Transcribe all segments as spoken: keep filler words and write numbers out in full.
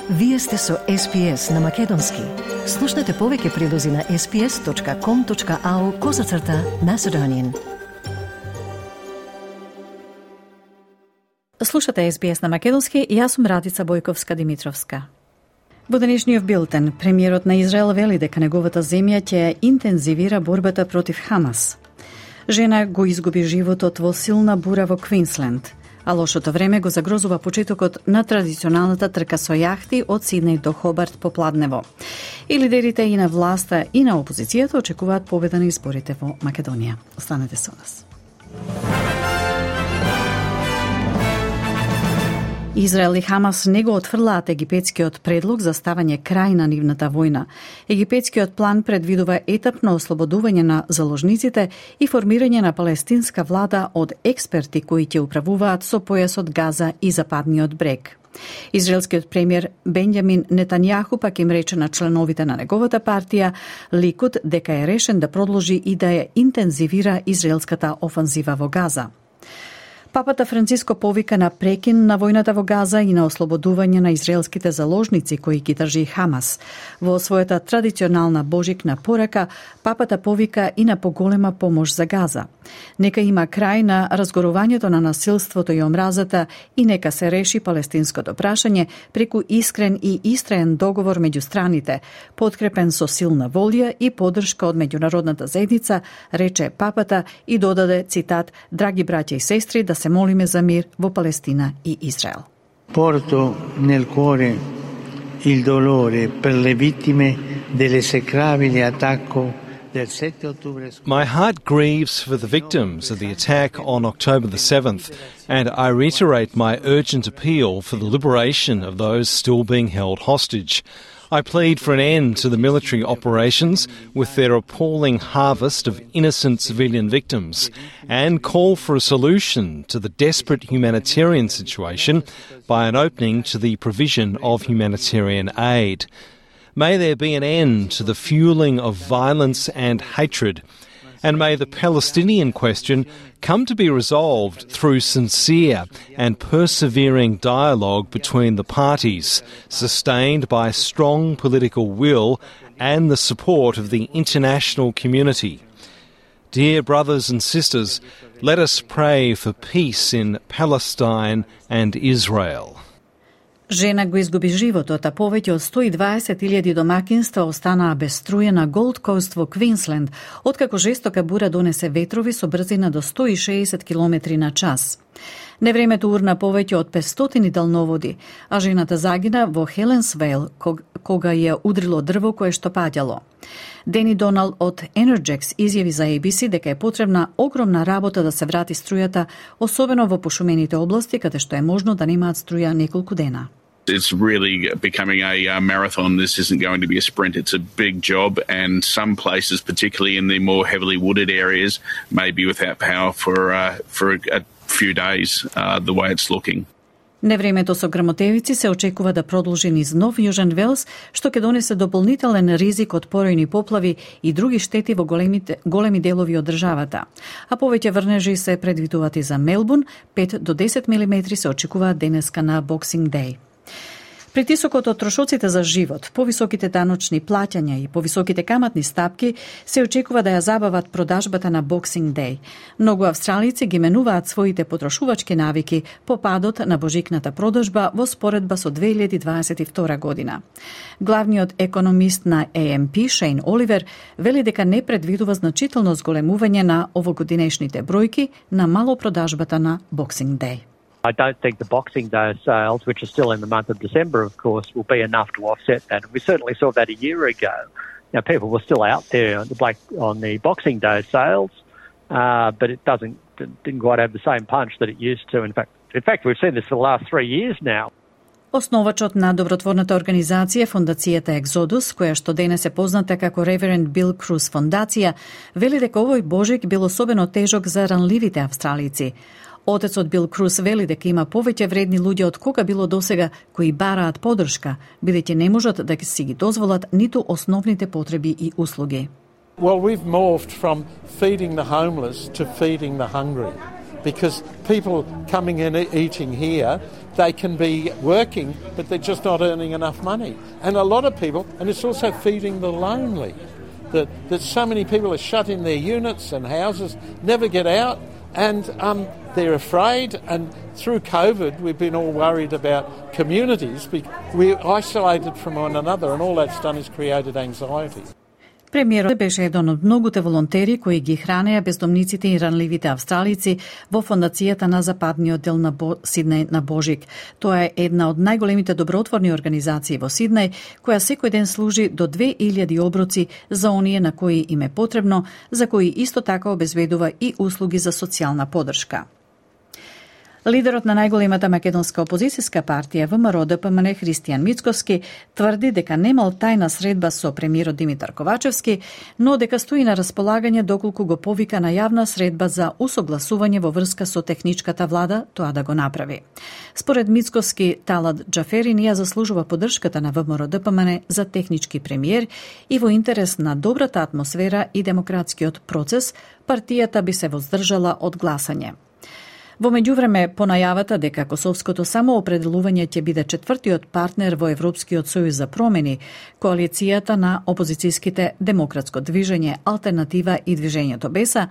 Вие сте со Ес Пи Ес на Македонски. Слушнете повеќе прилози на ес пи ес точка ком точка ау козацрта Macedonian. Слушате Ес Би Ес на Македонски и јас сум Радица Бојковска-Димитровска. Во денешниот билтен, премиерот на Израел вели дека неговата земја ќе интензивира борбата против Хамас. Жена го изгуби животот во силна бура во Квинсленд, а лошото време го загрозува почетокот на традиционалната трка со јахти од Сиднеј до Хобарт попладнево. И лидерите и на власта и на опозицијата очекуваат победа на изборите во Македонија. Останете со нас. Израел и Хамас не го отфрлаат египетскиот предлог за ставање крај на нивната војна. Египетскиот план предвидува етапно ослободување на заложниците и формирање на палестинска влада од експерти кои ќе управуваат со појасот Газа и Западниот брег. Израелскиот премиер Бенјамин Нетањаху пак им рече на членовите на неговата партија Ликуд дека е решен да продолжи и да ја интензивира израелската офанзива во Газа. Папата Франциско повика на прекин на војната во Газа и на ослободување на израелските заложници кои ги држи Хамас. Во својата традиционална божикна порака, папата повика и на поголема помош за Газа. Нека има крај на разгорувањето на насилството и омразата и нека се реши палестинското прашање преку искрен и истраен договор меѓу страните, подкрепен со силна волја и поддршка од меѓународната заедница, рече папата и додаде цитат: "Драги браќа и сестри, да се молиме за мир во Палестина и Израел." Porto nel cuore il dolore per le vittime dell'esecrabile attacco del sette ottobre. My heart grieves for the victims of the attack on October the seventh, and I reiterate my urgent appeal for the liberation of those still being held hostage. I plead for an end to the military operations with their appalling harvest of innocent civilian victims and call for a solution to the desperate humanitarian situation by an opening to the provision of humanitarian aid. May there be an end to the fueling of violence and hatred, and may the Palestinian question come to be resolved through sincere and persevering dialogue between the parties, sustained by strong political will and the support of the international community. Dear brothers and sisters, let us pray for peace in Palestine and Israel. Жена го изгуби животот, а повеќе од сто и дваесет илјади домакинства останаа без струја на Голд Коуст во Квинсленд, откако жестока бура донесе ветрови со брзина до сто и шеесет километри на час. Невремето урна повеќе од петстотини далноводи, а жената загина во Хеленсвейл кога ја удрило дрво кое што паѓало. Дени Донал од Energex изјави за Ей Би Си дека е потребна огромна работа да се врати струјата, особено во пошумените области каде што е можно да немаат струја неколку дена. It's really becoming a uh, marathon. This isn't going to be a sprint. It's a big job, and some places, particularly in the more heavily wooded areas, may be without power for uh, for a few days, uh, the way it's looking. Невремето со грмотевици се очекува да продолжи низ Нов Јужен Велс, што ќе донесе дополнителен ризик од поројни поплави и други штети во големите, големи делови од државата. А повеќе врнежи се предвидуваат и за Мелбурн, пет до десет милиметри се очекуваат денеска на Боксинг Деј. Притисокот од трошоците за живот, повисоките даночни плаќања и повисоките каматни стапки се очекува да ја забават продажбата на Боксинг Деј. Многу австралици ги менуваат своите потрошувачки навики по падот на божикната продажба во споредба со две илјади дваесет и втора година. Главниот економист на Ей Ем Пи, Шейн Оливер, вели дека не предвидува значително зголемување на овогодинешните бројки на малопродажбата на Боксинг Деј. I don't think the Boxing Day sales, which are still in the month of December, of course, will be enough to offset that. And we certainly saw that a year ago. Now, people were still out there on the, Black, on the Boxing Day sales, uh, but it doesn't didn't quite have the same punch that it used to. In fact, in fact, we've seen this for the last three years now. Основачот на добротворната организација Фондацијата Екзодус, која што денес е позната како Реверенд Бил Круз фондација, вели дека овој божик бил особено тежок за ранливите австралици. Отецот Бил Круз вели дека има повеќе вредни луѓе од кога било досега кои бараат поддршка, бидејќи не можат да си ги дозволат ниту основните потреби и услуги. Well, we've morphed from feeding the homeless to feeding the hungry. because people coming in and eating here, they can be working, but they're just not earning enough money. And a lot of people, and it's also feeding the lonely, that, that so many people are shut in their units and houses, never get out, and um, they're afraid. And through COVID, we've been all worried about communities. We're isolated from one another, and all that's done is created anxiety. Премиерот беше еден од многуте волонтери кои ги хранеа бездомниците и ранливите австралици во фондацијата на западниот дел на Бо... Сиднеј на Божик. Тоа е една од најголемите добротворни организации во Сиднеј, која секој ден служи до две илјади оброци за оние на кои им е потребно, за кои исто така обезбедува и услуги за социјална подршка. Лидерот на најголемата македонска опозицијска партија ВМРО-ДПМН Христијан Мицковски тврди дека немал тајна средба со премиерот Димитар Ковачевски, но дека стои на располагање доколку го повика на јавна средба за усогласување во врска со техничката влада тоа да го направи. Според Мицковски, Талат Џаферин ја заслужува поддршката на ВМРО-ДПМН за технички премиер и во интерес на добрата атмосфера и демократскиот процес, партијата би се воздржала од гласање. Во меѓувреме, по најавата дека косовското самоопределување ќе биде четвртиот партнер во Европскиот сојуз за промени, коалицијата на опозицијските Демократско движење, Алтернатива и Движењето Беса,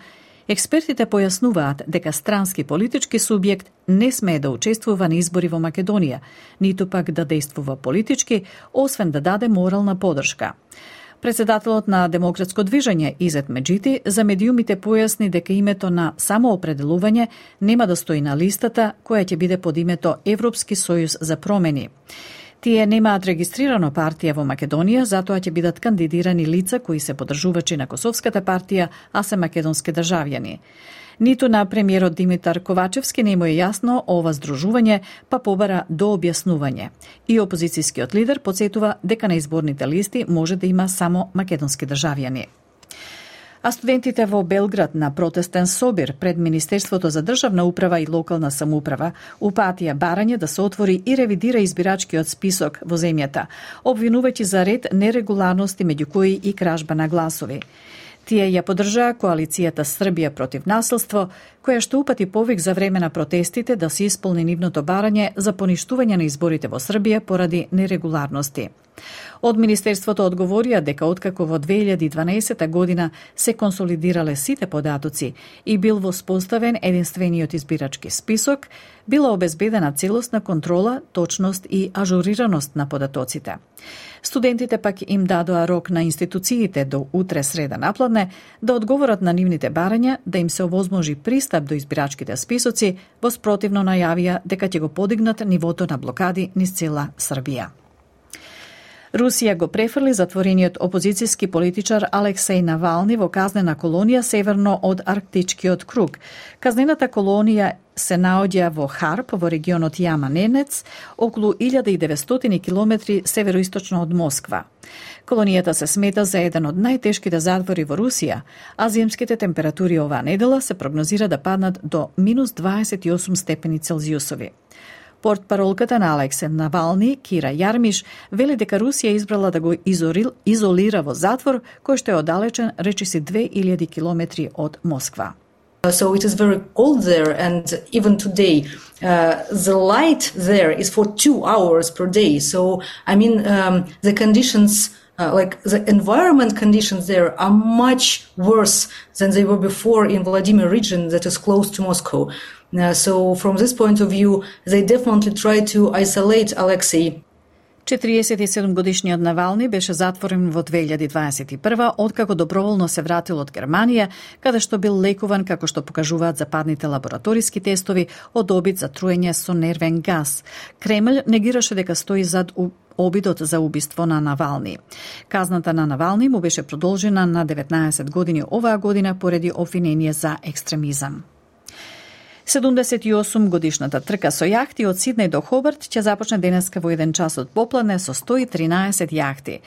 експертите појаснуваат дека странски политички субјект не смее да учествува на избори во Македонија, ниту пак да действува политички, освен да даде морална поддршка. Председателот на Демократско движење Изет Меджити за медиумите појасни дека името на самоопределување нема да стои на листата која ќе биде под името Европски сојуз за промени. Тие немаат регистрирано партија во Македонија, затоа ќе бидат кандидирани лица кои се поддржувачи на Косовската партија, а се македонски државјани. Ниту на премиерот Димитар Ковачевски не му е јасно ова здружување, па побара до објаснување. И опозицијскиот лидер потсетува дека на изборните листи може да има само македонски државјани. А студентите во Белград на протестен собир пред Министерството за државна управа и локална самоуправа упатија барање да се отвори и ревидира избирачкиот список во земјата, обвинувајќи за ред нерегуларности меѓу кои и кражба на гласови. Тие ја поддржаа коалицијата Србија против насилство, која што упати повик за време на протестите да се исполни нивното барање за поништување на изборите во Србија поради нерегуларности. Од Министерството одговорија дека откако во две илјади и дванаесета година се консолидирале сите податоци и бил воспоставен единствениот избирачки список, била обезбедена целосна контрола, точност и ажурираност на податоците. Студентите пак им дадоа рок на институциите до утре среда напладне да одговорат на нивните барања да им се овозможи пристап до избирачките списоци, во спротивно најавија дека ќе го подигнат нивото на блокади низ цела Србија. Русија го префрли затворениот опозицијски политичар Алексеј Навални во казнена колонија северно од Арктичкиот круг. Казнената колонија се наоѓа во Харп, во регионот Јама-Ненец, околу илјада и деветстотини километри североисточно од Москва. Колонијата се смета за еден од најтешките затвори во Русија, а зимските температури оваа недела се прогнозира да паднат до минус дваесет и осум степени Целзиусови. Портпаролката на Алексеј Навални, Кира Јармиш, вели дека Русија избрала да го изорил, изолира во затвор кој што е оддалечен речиси две илјади километри од Москва. So it is very cold there, and even today uh, the light there is for two hours per day. So I mean um, the conditions, uh, like the environment conditions there are much worse than they were before in Vladimir region that is close to Moscow. Uh, so from this point of view, they definitely try to isolate Alexei. четириесет и седум годишниот Навални беше затворен во две илјади дваесет и прва, откако доброволно се вратил од Германија, каде што бил лекуван, како што покажуваат западните лабораториски тестови, од обид за труење со нервен газ. Кремљ негираше дека стои зад обидот за убиство на Навални. Казната на Навални му беше продолжена на деветнаесет години оваа година поради обвинение за екстремизам. седумдесет и осум годишната трка со јахти од Сиднеј до Хобарт ќе започне денеска во еден час од попладне со сто и тринаесет јахти.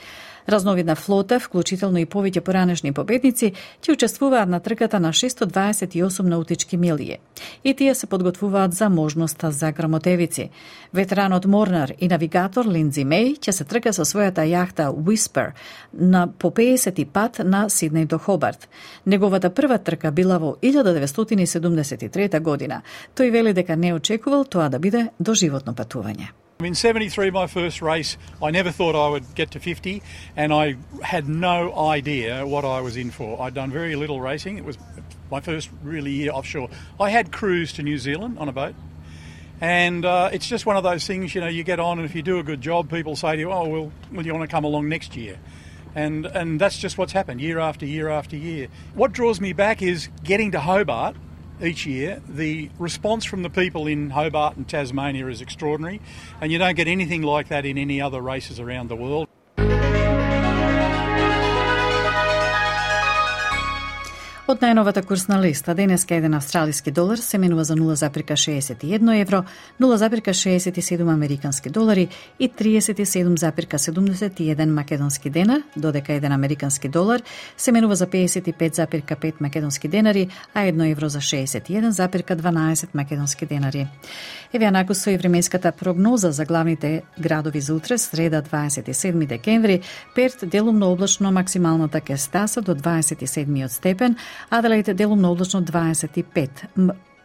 Разновидна флота, вклучително и повеќе поранешни победници, ќе учествуваат на трката на шесто дваесет и осум наутички милји. И тие се подготвуваат за можноста за грамотевици. Ветеранот морнар и навигатор Линдзи Меј ќе се трка со својата јахта Whisper на по пеесети пат на Сиднеј до Хобарт. Неговата прва трка била во илјада деветстотини седумдесет и трета година. Тој вели дека не очекувал тоа да биде доживотно патување. In seventy-three, my first race, I never thought I would get to fifty, and I had no idea what I was in for. I'd done very little racing. It was my first really year offshore. I had cruised to New Zealand on a boat, and uh, it's just one of those things, you know, you get on, and if you do a good job, people say to you, oh, well, well you want to come along next year? And, and that's just what's happened year after year after year. What draws me back is getting to Hobart each year. The response from the people in Hobart and Tasmania is extraordinary, and you don't get anything like that in any other races around the world. Од најновата курсна листа, денеска еден австралиски долар се менува за нула запирка шеесет и едно евро, нула запирка шеесет и седум американски долари и тридесет и седум запирка седумдесет и еден македонски денар, додека еден американски долар се менува за пеесет и пет запирка пет македонски денари, а едно евро за шеесет и еден запирка дванаесет македонски денари. Еве накусо и временската прогноза за главните градови за утре, среда дваесет и седми декември, Перт делумно облачно, максималната ќе стаса до дваесет и седми степен, Аделаид делумно облачно дваесет и пет,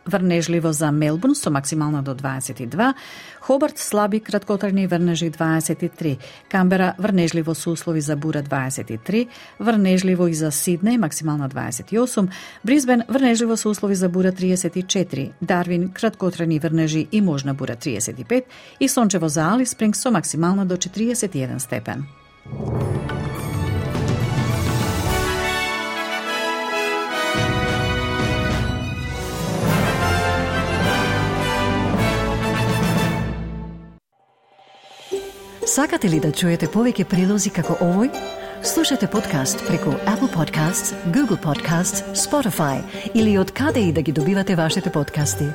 врнежливо за Мелбурн со максимална до дваесет и два, Хобарт слаби краткотрajни врнежи дваесет и три, Камбера врнежливо со услови за бура дваесет и три, врнежливо и за Сиднеј максимална дваесет и осум, Брисбен врнежливо со услови за бура тридесет и четири, Дарвин краткотрajни врнежи и можна бура тридесет и пет и сончево за Алис Спрингс со максимална до четиристесет и еден степен. Сакате ли да чуете повеќе прилози како овој? Слушате подкаст преку Apple Podcasts, Google Podcasts, Spotify или од каде и да ги добивате вашите подкасти.